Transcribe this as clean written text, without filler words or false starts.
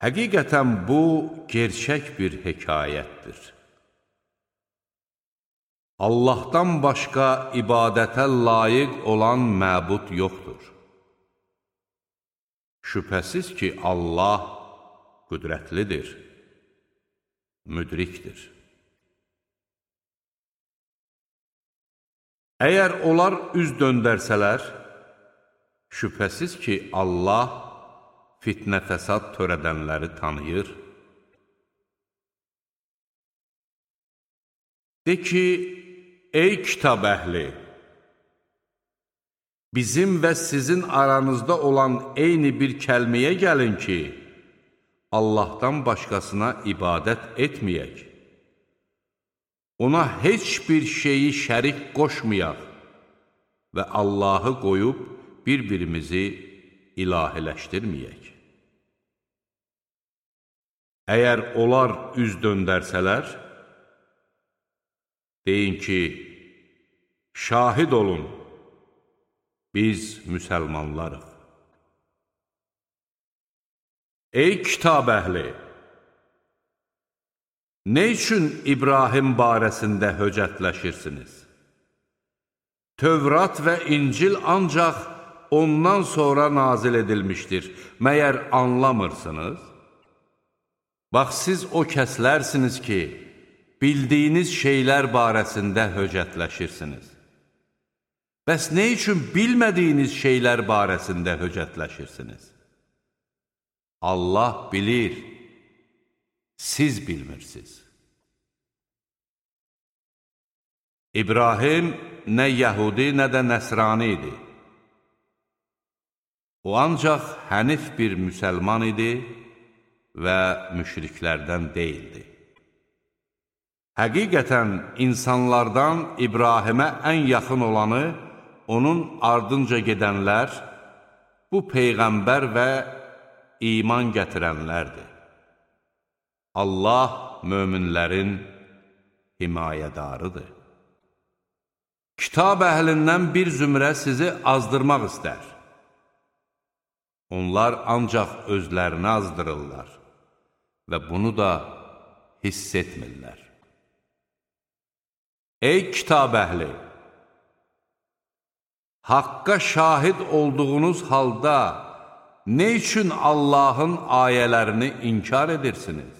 Həqiqətən bu, gerçək bir hekayətdir. Allahdan başqa ibadətə layiq olan məbud yoxdur. Şübhəsiz ki, Allah qüdrətlidir, müdrikdir. Əgər onlar üz döndərsələr, şübhəsiz ki, Allah fitnə fəsad törədənləri tanıyır. De ki, ey kitab əhli, bizim və sizin aranızda olan eyni bir kəlməyə gəlin ki, Allahdan başqasına ibadət etməyək. Ona heç bir şeyi şərik qoşmayaq və Allahı qoyub bir-birimizi ilahiləşdirməyək. Əgər onlar üz döndərsələr, deyin ki, şahid olun, biz müsəlmanlarıq. Ey kitab əhli! Nə üçün İbrahim barəsində höcətləşirsiniz? Tövrat və İncil ancaq ondan sonra nazil edilmişdir. Məyər anlamırsınız? Bax, siz o kəslərsiniz ki, bildiyiniz şeylər barəsində höcətləşirsiniz. Bəs nə üçün bilmədiyiniz şeylər barəsində höcətləşirsiniz? Allah bilir, siz bilmirsiniz. İbrahim nə Yəhudi, nə də Nəsrani idi. O ancaq hənif bir müsəlman idi və müşriklərdən deyildi. Həqiqətən insanlardan İbrahimə ən yaxın olanı, onun ardınca gedənlər, bu Peyğəmbər və iman gətirənlərdir. Allah möminlərin himayədarıdır. Kitab əhlindən bir zümrə sizi azdırmaq istər. Onlar ancaq özlərini azdırırlar və bunu da hiss etmirlər. Ey kitab əhli! Haqqa şahid olduğunuz halda nə üçün Allahın ayələrini inkar edirsiniz?